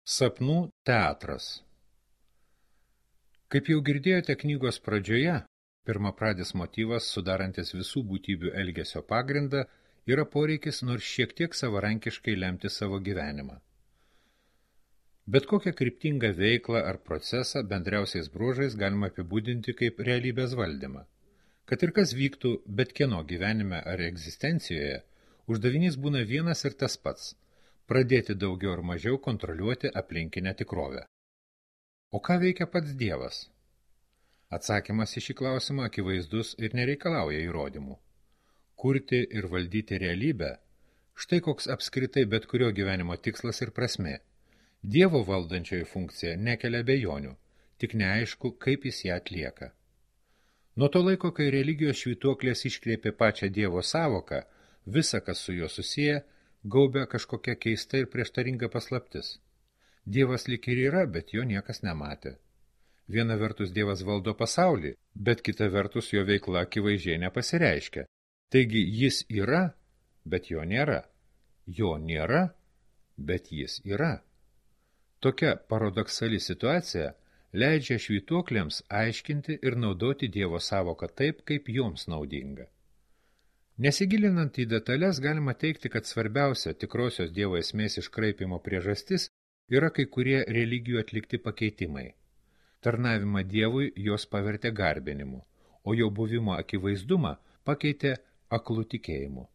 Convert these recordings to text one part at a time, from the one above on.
Sapnų teatras. Kaip jau girdėjote knygos pradžioje, pirmapradis motyvas, sudarantis visų būtybių elgesio pagrindą, yra poreikis nors šiek tiek savarankiškai lemti savo gyvenimą. Bet kokią kryptingą veiklą ar procesą bendriausiais bruožais galima apibūdinti kaip realybės valdymą. Kad ir kas vyktų bet kieno gyvenime ar egzistencijoje, uždavinys būna vienas ir tas pats – pradėti daugiau ar mažiau kontroliuoti aplinkinę tikrovę. O ką veikia pats Dievas? Atsakymas į šį klausimą akivaizdus ir nereikalauja įrodymų. Kurti ir valdyti realybę – štai koks apskritai bet kurio gyvenimo tikslas ir prasmė. Dievo valdančioji funkcija nekelia abejonių, tik neaišku, kaip jis ją atlieka. Nuo to laiko, kai religijos švytuoklės iškreipė pačią Dievo sąvoką, visa, kas su juo susiję, gaubia kažkokia keista ir prieštaringa paslaptis. Dievas lyg ir yra, bet jo niekas nematė. Viena vertus Dievas valdo pasaulį, bet kita vertus jo veikla akivaizdžiai nepasireiškia. Taigi jis yra, bet jo nėra. Jo nėra, bet jis yra. Tokia paradoksali situacija leidžia švytuoklėms aiškinti ir naudoti Dievo sąvoką taip, kaip joms naudinga. Nesigilinant į detalės, galima teigti, kad svarbiausia tikrosios Dievo esmės iškraipimo priežastis yra kai kurie religijų atlikti pakeitimai. Tarnavimą Dievui jos pavertė garbinimu, o jo buvimo akivaizdumą pakeitė aklų tikėjimu.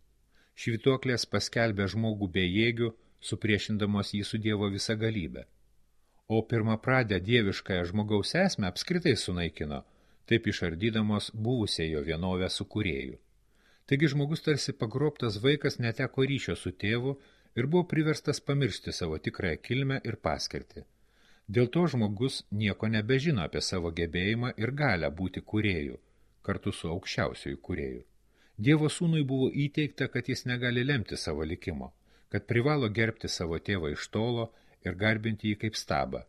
Švytuoklės paskelbė žmogų bejėgių, supriešindamos jį su Dievo visagalybę. O pirmapradę dieviškąją žmogaus esmę apskritai sunaikino, taip išardydamos buvusią jo vienovę su kūrėju. Taigi žmogus tarsi pagrobtas vaikas neteko ryšio su tėvu ir buvo priverstas pamiršti savo tikrąją kilmę ir paskirtį. Dėl to žmogus nieko nebežino apie savo gebėjimą ir galę būti kūrėju, kartu su aukščiausiuoju kūrėju. Dievo sūnui buvo įteigta, kad jis negali lemti savo likimo, kad privalo gerbti savo tėvą iš tolo ir garbinti jį kaip stabą.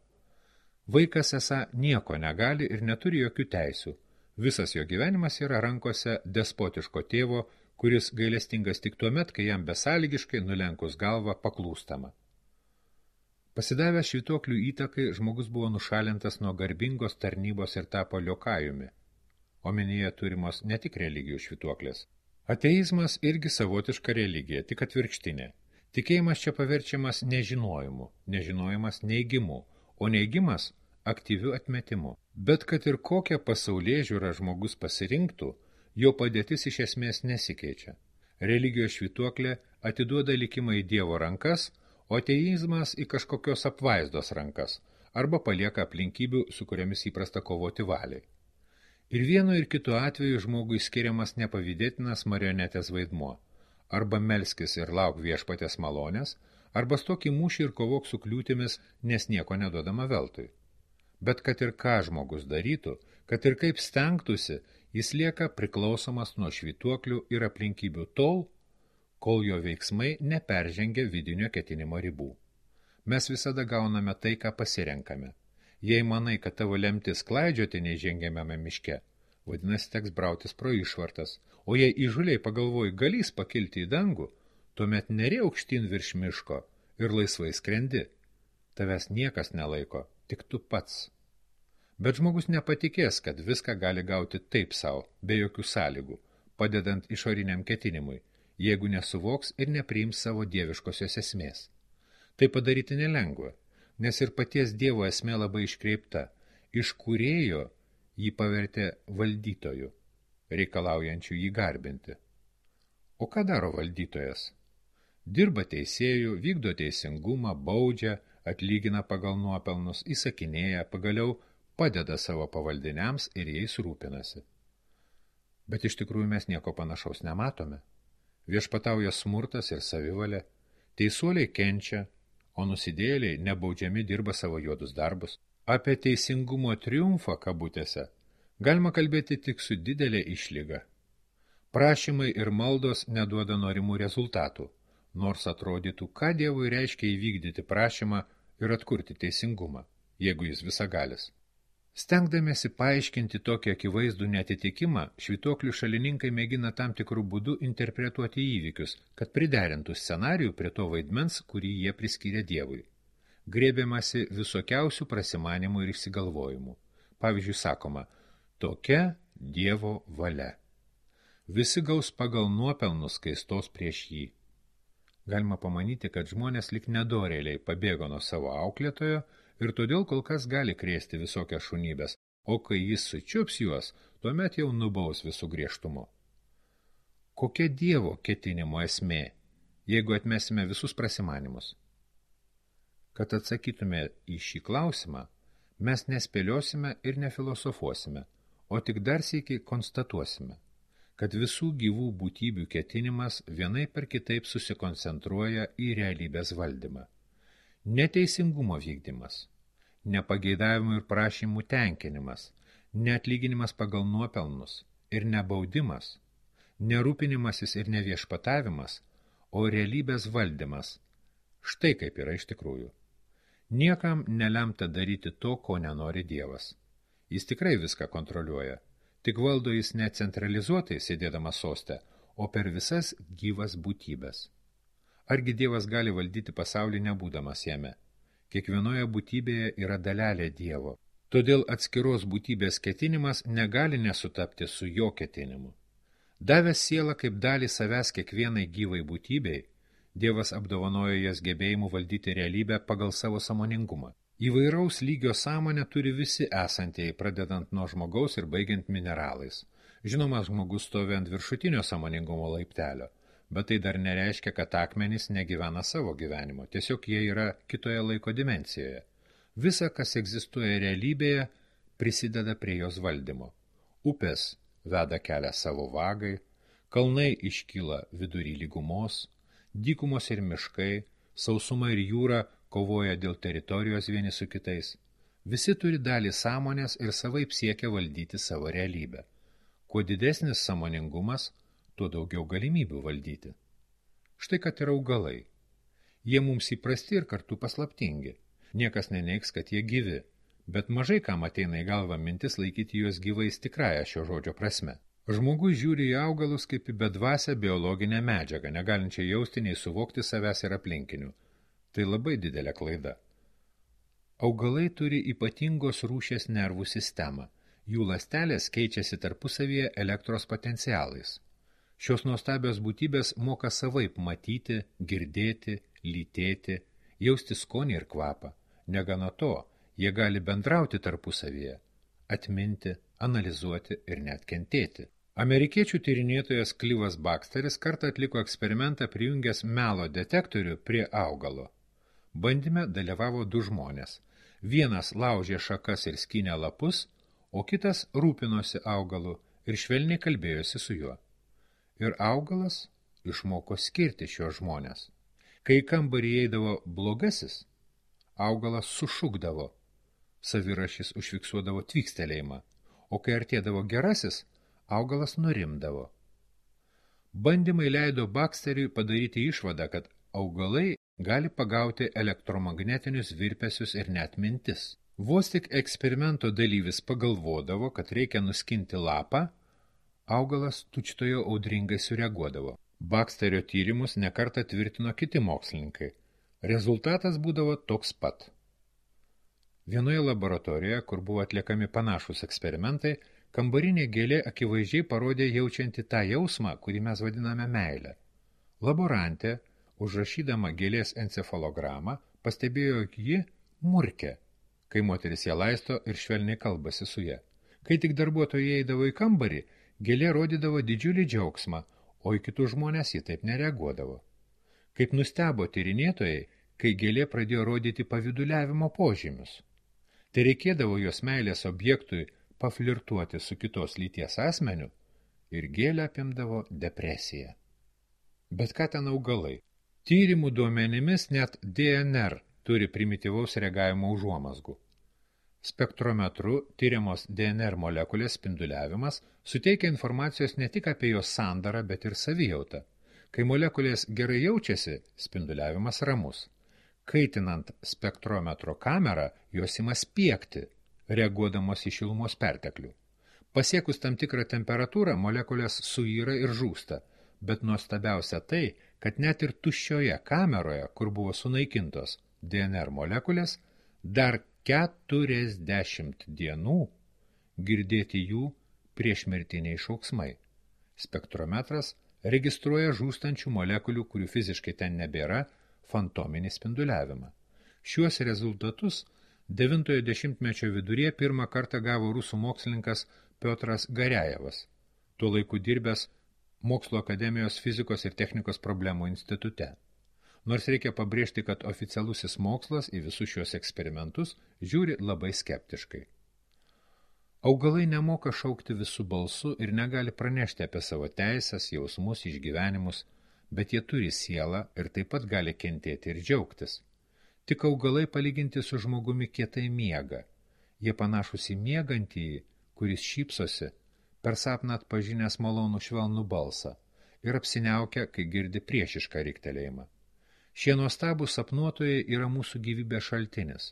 Vaikas esą nieko negali ir neturi jokių teisių. Visas jo gyvenimas yra rankose despotiško tėvo, kuris gailestingas tik tuomet, kai jam besąlygiškai nulenkus galvą paklūstama. Pasidavęs švytuoklių įtakai, žmogus buvo nušalintas nuo garbingos tarnybos ir tapo liokajumi. Omenyje turimos ne tik religijų švytuoklės. Ateizmas irgi savotiška religija, tik atvirkštinė. Tikėjimas čia paverčiamas nežinojimu, nežinojimas neigimu, o neigimas aktyviu atmetimu. Bet kad ir kokią pasaulėžiūrą žmogus pasirinktų, jo padėtis iš esmės nesikeičia. Religijos švytuoklė atiduoda likimą į Dievo rankas, o ateizmas į kažkokios apvaizdos rankas, arba palieka aplinkybių, su kuriamis įprasta kovoti valiai. Ir vienu ir kitu atveju žmogui skiriamas nepavydėtinas marionetės vaidmuo. Arba melskis ir lauk viešpatės malonės, arba stok į mūšį ir kovok su kliūtimis, nes nieko neduodama veltui. Bet kad ir ką žmogus darytų, kad ir kaip stengtųsi, jis lieka priklausomas nuo švytuoklių ir aplinkybių tol, kol jo veiksmai neperžengia vidinio ketinimo ribų. Mes visada gauname tai, ką pasirenkame. Jei manai, kad tavo lemtis klaidžioti neįžengiamame miške, vadinasi teks brautis pro išvartas, o jei įžuliai pagalvoji galys pakilti į dangų, tuomet neri aukštyn virš miško ir laisvai skrendi. Tavęs niekas nelaiko, tik tu pats. Bet žmogus nepatikės, kad viską gali gauti taip savo, be jokių sąlygų, padedant išoriniam ketinimui, jeigu nesuvoks ir nepriims savo dieviškosios esmės. Tai padaryti nelengva, nes ir paties Dievo esmė labai iškreipta. Iš kūrėjo jį pavertė valdytoju, reikalaujančių jį garbinti. O ką daro valdytojas? Dirba teisėjų, vykdo teisingumą, baudžia, atlygina pagal nuopelnus, įsakinėja, pagaliau padeda savo pavaldiniams ir jais rūpinasi. Bet iš tikrųjų mes nieko panašaus nematome. Viešpatauja smurtas ir savivalė, teisuoliai kenčia, o nusidėjėliai nebaudžiami dirba savo juodus darbus. Apie teisingumo triumfą kabutėse galima kalbėti tik su didelė išlyga. Prašymai ir maldos neduoda norimų rezultatų, nors atrodytų, ką Dievui reiškia įvykdyti prašymą ir atkurti teisingumą, jeigu jis visagalis. Stengdamiesi paaiškinti tokį akivaizdų neatitikimą, švytuoklių šalininkai mėgina tam tikrų būdų interpretuoti įvykius, kad priderintų scenarijų prie to vaidmens, kurį jie priskyrė Dievui. grėbiamasi visokiausių prasimanimų ir išsigalvojimų. Pavyzdžiui, sakoma, tokia Dievo valia. Visi gaus pagal nuopelnus, kai stos prieš jį. Galima pamanyti, kad žmonės lik nedorėliai pabėgo nuo savo auklėtojo ir todėl kol kas gali krėsti visokias šunybės, o kai jis sučiups juos, tuomet jau nubaus visų griežtumu. Kokia Dievo ketinimo esmė, jeigu atmesime visus prasimanimus? Kad atsakytume į šį klausimą, mes nespėliosime ir nefilosofuosime, o tik dar sykį konstatuosime, kad visų gyvų būtybių ketinimas vienai per kitaip susikoncentruoja į realybės valdymą. Neteisingumo vykdymas, nepageidavimų ir prašymų tenkinimas, neatlyginimas pagal nuopelnus ir nebaudimas, nerūpinimasis ir neviešpatavimas, o realybės valdymas. Štai kaip yra iš tikrųjų. Niekam nelemta daryti to, ko nenori Dievas. Jis tikrai viską kontroliuoja, tik valdo jis ne centralizuotai sėdėdamas soste, o per visas gyvas būtybės. Argi Dievas gali valdyti pasaulį nebūdamas jame? Kiekvienoje būtybėje yra dalelė Dievo. Todėl atskiros būtybės ketinimas negali nesutapti su jo ketinimu. Davęs sielą kaip dalį savęs kiekvienai gyvai būtybei, Dievas apdovanojo jas gebėjimu valdyti realybę pagal savo sąmoningumą. Įvairaus lygio sąmonę turi visi esantieji, pradedant nuo žmogaus ir baigiant mineralais. Žinoma, žmogus stovi ant viršutinio sąmoningumo laiptelio, bet tai dar nereiškia, kad akmenys negyvena savo gyvenimo, tiesiog jie yra kitoje laiko dimensijoje. Visa, kas egzistuoja realybėje, prisideda prie jos valdymo. Upės veda kelią savo vagai, kalnai iškyla vidury lygumos, dykumos ir miškai, sausuma ir jūra kovoja dėl teritorijos vieni su kitais. Visi turi dalį sąmonės ir savaip siekia valdyti savo realybę. Kuo didesnis sąmoningumas, tuo daugiau galimybių valdyti. Štai kad yra augalai. Jie mums įprasti ir kartu paslaptingi. Niekas neneigs, kad jie gyvi, bet mažai kam ateina į galvą mintis laikyti juos gyvais tikrąją šio žodžio prasme. Žmogus žiūri į augalus kaip į bedvasę biologinę medžiagą, negalinčią jausti nei suvokti savęs ir aplinkinių. Tai labai didelė klaida. Augalai turi ypatingos rūšies nervų sistemą. Jų ląstelės keičiasi tarpusavyje elektros potencialais. Šios nuostabios būtybės moka savaip matyti, girdėti, lytėti, jausti skonį ir kvapą. Negana to, jie gali bendrauti tarpusavyje, atminti, analizuoti ir net kentėti. Amerikiečių tyrinėtojas Clivas Baxteris kartą atliko eksperimentą prijungęs melo detektorių prie augalo. Bandyme dalyvavo du žmonės. Vienas laužė šakas ir skynė lapus, o kitas rūpinosi augalu ir švelniai kalbėjosi su juo. Ir augalas išmoko skirti šios žmonės. Kai į kambarį eidavo blogasis, augalas sušukdavo, savirašis užfiksuodavo tvykstelėjimą, o kai artėdavo gerasis, augalas nurimdavo. Bandymai leido Baxteriui padaryti išvadą, kad augalai gali pagauti elektromagnetinius virpesius ir net mintis. Vos tik eksperimento dalyvis pagalvodavo, kad reikia nuskinti lapą, augalas tučtojo audringai sureaguodavo. Baxterio tyrimus nekartą tvirtino kiti mokslininkai. Rezultatas būdavo toks pat. Vienoje laboratorijoje, kur buvo atliekami panašūs eksperimentai, kambarinė gėlė akivaizdžiai parodė jaučianti tą jausmą, kurį mes vadiname meilę. Laborantė, užrašydama gėlės encefalogramą, pastebėjo, jog ji murkia, kai moteris ją laisto ir švelniai kalbasi su ja. Kai tik darbuotojai eidavo į kambarį, gėlė rodydavo didžiulį džiaugsmą, o į kitus žmonės ji taip nereaguodavo. Kaip nustebo tyrinėtojai, kai gėlė pradėjo rodyti paviduliavimo požymius. Tai reikėdavo jos meilės objektui paflirtuoti su kitos lyties asmeniu ir gėlę apimdavo depresija. Bet ką ten augalai? Tyrimų duomenimis net DNR turi primityvaus reagavimo užuomazgų. Spektrometru tyriamos DNR molekulės spinduliavimas suteikia informacijos ne tik apie jos sandarą, bet ir savijautą. Kai molekulės gerai jaučiasi, spinduliavimas ramus. Kaitinant spektrometro kamerą, jos ima spiegti, reaguodamos į šilumos perteklių. Pasiekus tam tikrą temperatūrą, molekulės suyra ir žūsta, bet nuostabiausia tai, kad net ir tuščioje kameroje, kur buvo sunaikintos, DNR molekulės, dar 40 dienų girdėti jų priešmirtiniai šauksmai. Spektrometras registruoja žūstančių molekulių, kurių fiziškai ten nebėra, fantominį spinduliavimą. Šiuos rezultatus 9-ojo dešimtmečio viduryje pirmą kartą gavo rusų mokslininkas Piotras Garejevas, tuo laiku dirbęs Mokslo akademijos fizikos ir technikos problemų institute. Nors reikia pabrėžti, kad oficialusis mokslas į visus šios eksperimentus žiūri labai skeptiškai. Augalai nemoka šaukti visų balsų ir negali pranešti apie savo teisės, jausmus, išgyvenimus, bet jie turi sielą ir taip pat gali kentėti ir džiaugtis. Tik augalai palyginti su žmogumi kietai miega. Jie panašus į miegantįjį, kuris šypsosi, per sapną atpažinęs malonų švelnų balsą ir apsiniaukia, kai girdi priešišką riktelėjimą. Šie nuostabūs sapnuotojai yra mūsų gyvybės šaltinis,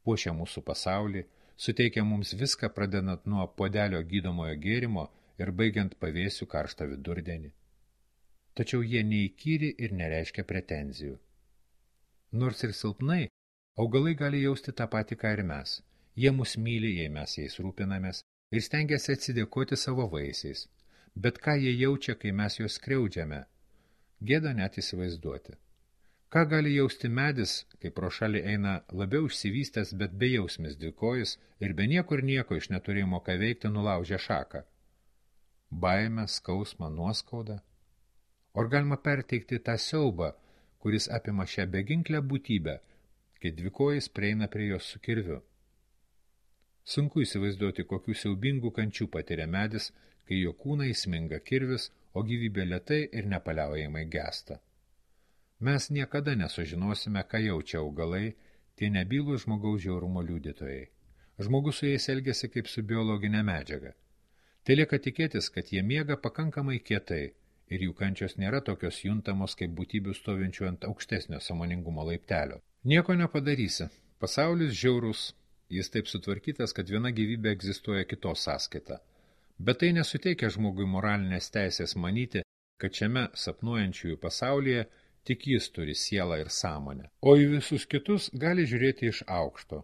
puošia mūsų pasaulį, suteikia mums viską, pradedant nuo puodelio gydomojo gėrimo ir baigiant pavėsių karštą vidurdienį. Tačiau jie neįkyri ir nereiškia pretenzijų. Nors ir silpnai, augalai gali jausti tą patį, ką ir mes. Jie mus myli, jei mes jais rūpinamės, ir stengiasi atsidėkoti savo vaisiais. Bet ką jie jaučia, kai mes juos skriaudžiame? Gėda net įsivaizduoti. Ką gali jausti medis, kai pro šalį eina labiau išsivystęs, bet bejausmis dvikojis ir be niekur nieko iš neturėjimo ką veikti nulaužia šaką? Baimę, skausmą, nuoskaudą? Ar galima perteikti tą siaubą, kuris apima šią beginklę būtybę, kai dvikojis prieina prie jos su kirviu? Sunku įsivaizduoti, kokių siaubingų kančių patiria medis, kai jo kūną įsminga kirvis, o gyvybė lėtai ir nepaliaujamai gęsta. Mes niekada nesužinosime, ką jaučia augalai, tie nebylūs žmogaus žiaurumo liudytojai. Žmogus su jais elgiasi kaip su biologinė medžiaga. Tai lieka tikėtis, kad jie miega pakankamai kietai ir jų kančios nėra tokios juntamos kaip būtybių stovinčių ant aukštesnio sąmoningumo laiptelio. Nieko nepadarysi. Pasaulis žiaurus, jis taip sutvarkytas, kad viena gyvybė egzistuoja kitos sąskaita. Bet tai nesuteikia žmogui moralinės teisės manyti, kad šiame sapnuojančiųjų pasaulyje tik jis turi sielą ir sąmonę, o į visus kitus gali žiūrėti iš aukšto.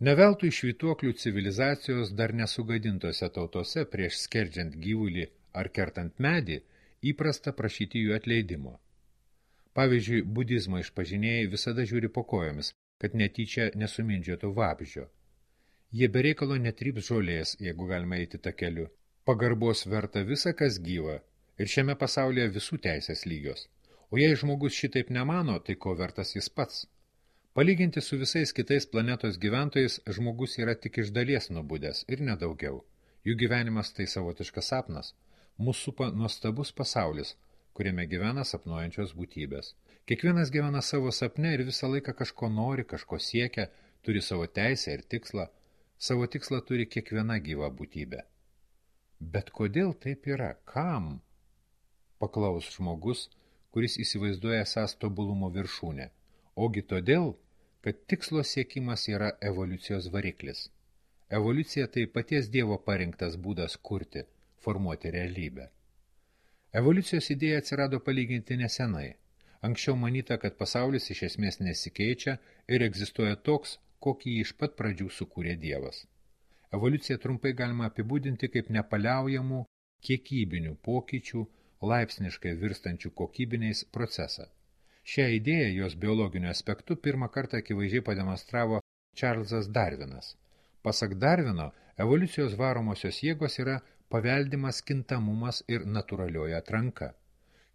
Neveltui švytuoklių civilizacijos dar nesugadintose tautose prieš skerdžiant gyvulį ar kertant medį įprasta prašyti jų atleidimo. Pavyzdžiui, budizmo išpažinėjai visada žiūri po kojomis, kad netyčia nesumindžiotų vabzdžio. Jie be reikalo netryps žolės, jeigu galima eiti takeliu. Pagarbos verta visa, kas gyva, ir šiame pasaulyje visų teisės lygios. O jei žmogus šitaip nemano, tai ko vertas jis pats? Palyginti su visais kitais planetos gyventojais, žmogus yra tik iš dalies nubudęs ir nedaugiau. Jų gyvenimas tai savotiškas sapnas. Mūsų supa nuostabus pasaulis, kuriame gyvena sapnuojančios būtybės. Kiekvienas gyvena savo sapne ir visą laiką kažko nori, kažko siekia, turi savo teisę ir tikslą. Savo tikslą turi kiekviena gyva būtybė. Bet kodėl taip yra? Kam? Paklaus žmogus, kuris įsivaizduoja esąs tobulumo viršūnę. Ogi todėl, kad tikslo siekimas yra evoliucijos variklis. Evoliucija tai paties Dievo parinktas būdas kurti, formuoti realybę. Evoliucijos idėja atsirado palyginti nesenai. Anksčiau manyta, kad pasaulis iš esmės nesikeičia ir egzistuoja toks, kokį jį iš pat pradžių sukūrė Dievas. Evoliuciją trumpai galima apibūdinti kaip nepaliaujamų kiekybinių pokyčių, laipsniškai virstančių kokybiniais procesą. Šią idėją jos biologiniu aspektu pirmą kartą akivaizdžiai pademonstravo Čarlzas Darvinas. Pasak Darvino, evoliucijos varomosios jėgos yra paveldimas kintamumas ir natūralioji atranka.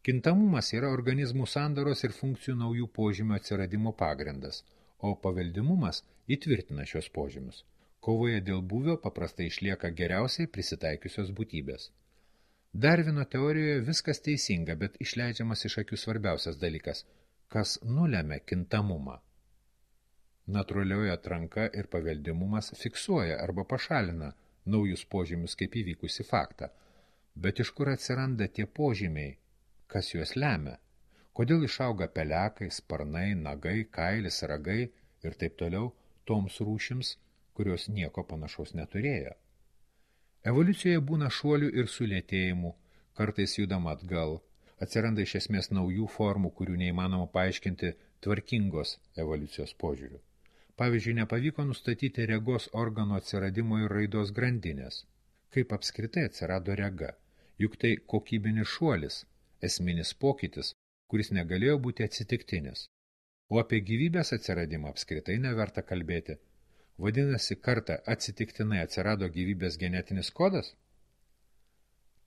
Kintamumas yra organizmų sandaros ir funkcijų naujų požymių atsiradimo pagrindas, o paveldimumas įtvirtina šios požymius. Kovoje dėl būvio paprastai išlieka geriausiai prisitaikiusios būtybės. Darvino teorijoje viskas teisinga, bet išleidžiamas iš akių svarbiausias dalykas, kas nulemia kintamumą. Natūralioji atranka ir paveldimumas fiksuoja arba pašalina naujus požymius kaip įvykusi faktą. Bet iš kur atsiranda tie požymiai? Kas juos lemia? Kodėl išauga pelekai, sparnai, nagai, kailis, ragai ir taip toliau toms rūšims, kurios nieko panašaus neturėjo? Evoliucijoje būna šuolių ir sulėtėjimų, kartais judama atgal, atsiranda iš esmės naujų formų, kurių neįmanoma paaiškinti tvarkingos evoliucijos požiūriu. Pavyzdžiui, nepavyko nustatyti regos organo atsiradimo ir raidos grandinės. Kaip apskritai atsirado rega? Juk tai kokybinis šuolis, esminis pokytis, kuris negalėjo būti atsitiktinis. O apie gyvybės atsiradimą apskritai neverta kalbėti. Vadinasi, kartą atsitiktinai atsirado gyvybės genetinis kodas?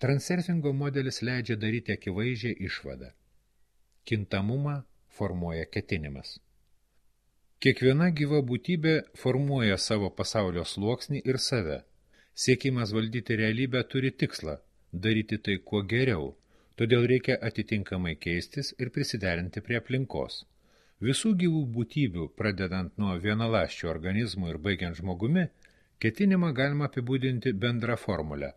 Transurfingo modelis leidžia daryti akivaizdžią išvadą. Kintamumą formuoja ketinimas. Kiekviena gyva būtybė formuoja savo pasaulio sluoksnį ir save. Siekimas valdyti realybę turi tikslą – daryti tai kuo geriau, todėl reikia atitinkamai keistis ir prisiderinti prie aplinkos. Visų gyvų būtybių, pradedant nuo vienaląsčių organizmų ir baigiant žmogumi, ketinimą galima apibūdinti bendrą formulę.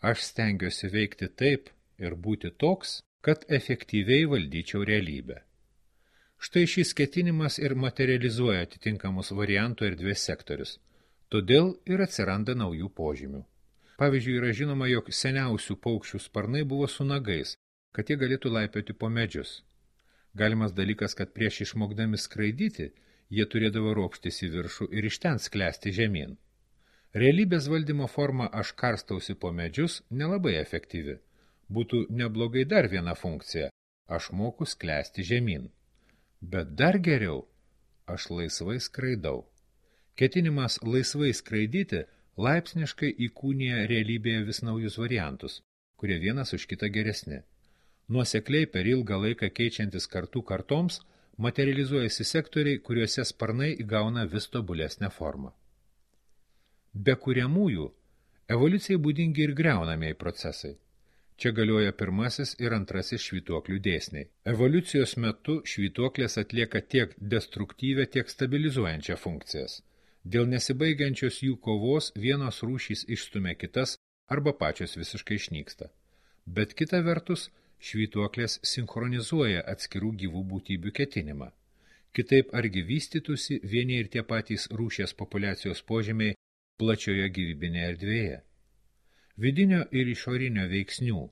Aš stengiuosi veikti taip ir būti toks, kad efektyviai valdyčiau realybę. Štai šis ketinimas ir materializuoja atitinkamus variantų erdvės sektorius. Todėl ir atsiranda naujų požymių. Pavyzdžiui, yra žinoma, jog seniausių paukščių sparnai buvo su nagais, kad jie galėtų laipioti po medžius. Galimas dalykas, kad prieš išmokdami skraidyti, jie turėdavo ropštis į viršų ir iš ten sklęsti žemyn. Realybės valdymo forma aš karstausi po medžius nelabai efektyvi. Būtų neblogai dar viena funkcija – aš moku sklęsti žemyn. Bet dar geriau – aš laisvai skraidau. Ketinimas laisvai skraidyti laipsniškai įkūnija realybėje vis naujus variantus, kurie vienas už kitą geresni. Nuosekliai per ilgą laiką keičiantis kartų kartoms materializuojasi sektoriai, kuriuose sparnai įgauna vis tobulesnę formą. Be kuriamųjų, evoliucijai būdingi ir griaunamieji procesai. Čia galioja pirmasis ir antrasis švytuoklių dėsniai. Evoliucijos metu švytuoklės atlieka tiek destruktyvę, tiek stabilizuojančią funkcijas. Dėl nesibaigiančios jų kovos vienos rūšys išstumia kitas arba pačios visiškai išnyksta. Bet kita vertus, švytuoklės sinchronizuoja atskirų gyvų būtybių ketinimą. Kitaip argi vystytųsi vieni ir tie patys rūšies populiacijos požymiai plačioje gyvybinėje erdvėje. Vidinio ir išorinio veiksnių,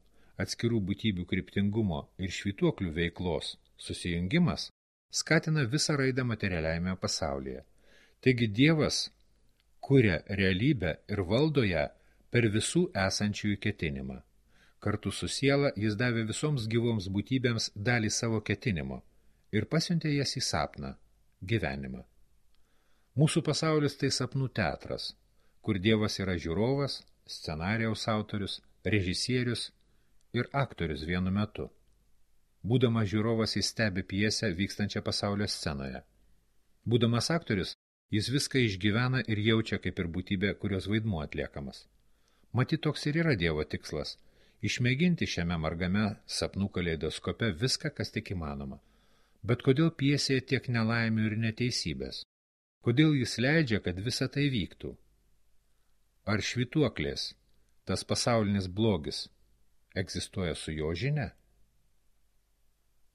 atskirų būtybių kryptingumo ir švytuoklių veiklos susijungimas skatina visą raidą materialiajame pasaulyje. Taigi Dievas kuria realybę ir valdo ją per visų esančiųjų ketinimą. Kartu su siela jis davė visoms gyvoms būtybėms dalį savo ketinimo ir pasiuntė jas į sapną, gyvenimą. Mūsų pasaulis tai sapnų teatras, kur Dievas yra žiūrovas, scenarijaus autorius, režisierius ir aktorius vienu metu. Būdamas žiūrovas jis stebi pjesę vykstančią pasaulio scenoje. Būdamas aktorius, jis viską išgyvena ir jaučia kaip ir būtybė, kurios vaidmuo atliekamas. Matyt, toks ir yra Dievo tikslas – išmėginti šiame margame sapnų kaleidoskope viską, kas tik įmanoma. Bet kodėl pjesėje tiek nelaimių ir neteisybės? Kodėl jis leidžia, kad visa tai vyktų? Ar švytuoklės, tas pasaulinis blogis, egzistuoja su jo žinia?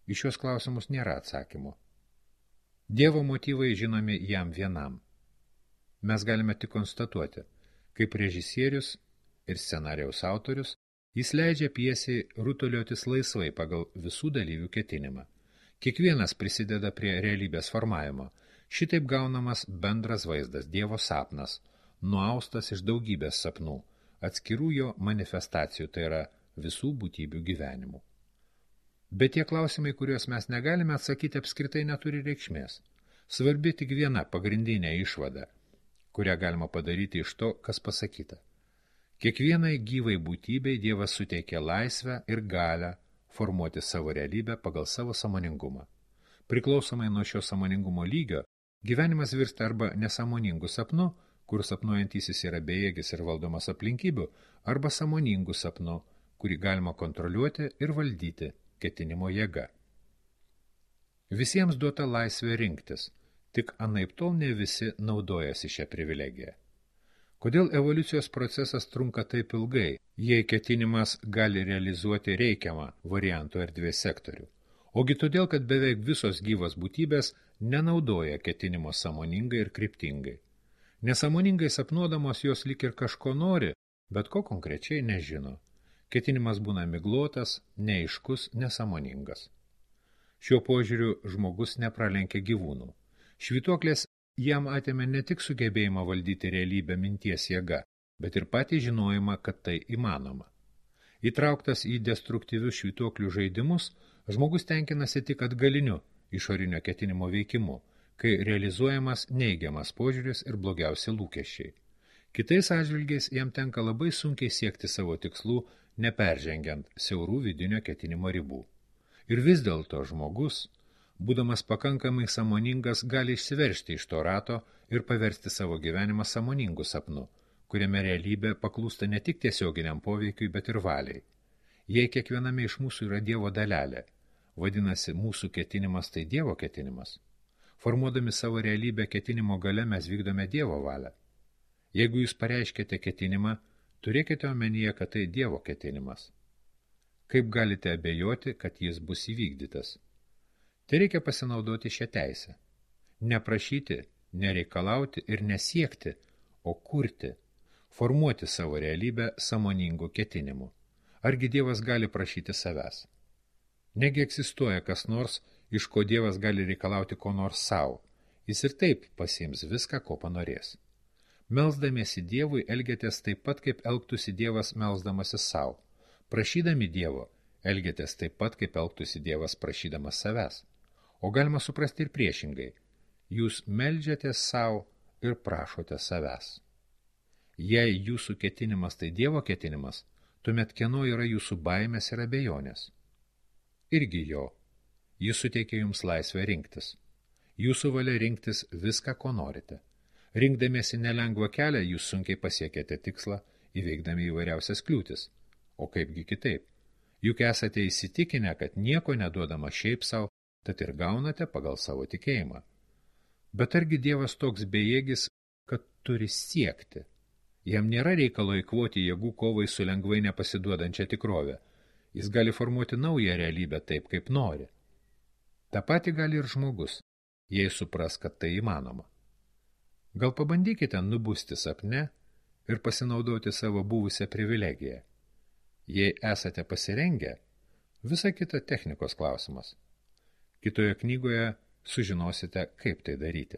Iš šios klausimus nėra atsakymo. Dievo motyvai žinomi jam vienam. Mes galime tik konstatuoti, kaip režisierius ir scenarijaus autorius, jis leidžia pjesei rutuliotis laisvai pagal visų dalyvių ketinimą. Kiekvienas prisideda prie realybės formavimo. Šitaip gaunamas bendras vaizdas, Dievo sapnas, nuaustas iš daugybės sapnų, atskirų jo manifestacijų, tai yra visų būtybių gyvenimų. Bet tie klausimai, kuriuos mes negalime atsakyti, apskritai neturi reikšmės. Svarbi tik viena pagrindinė išvada, kurią galima padaryti iš to, kas pasakyta. Kiekvienai gyvai būtybei Dievas suteikė laisvę ir galią formuoti savo realybę pagal savo sąmoningumą. Priklausomai nuo šio sąmoningumo lygio, gyvenimas virsta arba nesąmoningų sapnu, kur sapnuojantysis yra bejėgis ir valdomas aplinkybių, arba sąmoningų sapnu, kurį galima kontroliuoti ir valdyti ketinimo jėga. Visiems duota laisvė rinktis, tik anaiptol ne visi naudojasi šią privilegiją. Kodėl evoliucijos procesas trunka taip ilgai, jei ketinimas gali realizuoti reikiamą variantų erdvės sektorių? Ogi todėl, kad beveik visos gyvos būtybės nenaudoja ketinimo sąmoningai ir kryptingai. Nesąmoningai sapnuodamos jos lyg ir kažko nori, bet ko konkrečiai nežino. Ketinimas būna miglotas, neaiškus, nesąmoningas. Šiuo požiūriu žmogus nepralenkia gyvūnų. Švytuoklės jam atėmė ne tik sugebėjimą valdyti realybę minties jėga, bet ir patį žinojimą, kad tai įmanoma. Įtrauktas į destruktyvius švytuoklių žaidimus, žmogus tenkinasi tik atgaliniu išorinio ketinimo veikimu, kai realizuojamas neigiamas požiūris ir blogiausi lūkesčiai. Kitais atžvilgiais jam tenka labai sunkiai siekti savo tikslų, neperžengiant siaurų vidinio ketinimo ribų. Ir vis dėlto žmogus, būdamas pakankamai sąmoningas, gali išsiveržti iš to rato ir paversti savo gyvenimą sąmoningu sapnu, kuriame realybė paklūsta ne tik tiesioginiam poveikiui, bet ir valiai. Jei kiekviename iš mūsų yra Dievo dalelė, vadinasi, mūsų ketinimas tai Dievo ketinimas. Formuodami savo realybę ketinimo gale mes vykdome Dievo valią. Jeigu jūs pareiškėte ketinimą, turėkite omenyje, kad tai Dievo ketinimas. Kaip galite abejoti, kad jis bus įvykdytas? Tai reikia pasinaudoti šią teisę. Neprašyti, nereikalauti ir nesiekti, o kurti, formuoti savo realybę sąmoningų ketinimų. Argi Dievas gali prašyti savęs? Negi egzistuoja kas nors, iš ko Dievas gali reikalauti ko nors savo. Jis ir taip pasiims viską, ko panorės. Melsdamiesi Dievui elgiatės taip pat, kaip elgtųsi Dievas melsdamasis savo. Prašydami Dievo, elgiatės taip pat, kaip elgtųsi Dievas prašydamas savęs. O galima suprasti ir priešingai. Jūs meldžiatės savo ir prašote savęs. Jei jūsų ketinimas tai Dievo ketinimas, tuomet kieno yra jūsų baimės ir abejonės? Irgi jo. Jis suteikia jums laisvę rinktis. Jūsų valia rinktis viską, ko norite. Rinkdamiesi nelengvą kelią, jūs sunkiai pasiekėte tikslą, įveikdami įvairiausias kliūtis. O kaipgi kitaip? Juk esate įsitikinę, kad nieko neduodama šiaip savo, tad ir gaunate pagal savo tikėjimą. Bet argi Dievas toks bejėgis, kad turi siekti? Jam nėra reikalo eikvoti jėgų kovai su lengvai nepasiduodančia tikrovė. Jis gali formuoti naują realybę taip, kaip nori. Ta pati gali ir žmogus, jei supras, kad tai įmanoma. Gal pabandykite nubusti sapne ir pasinaudoti savo buvusią privilegiją. Jei esate pasirengę, visa kita technikos klausimas. Kitoje knygoje sužinosite, kaip tai daryti.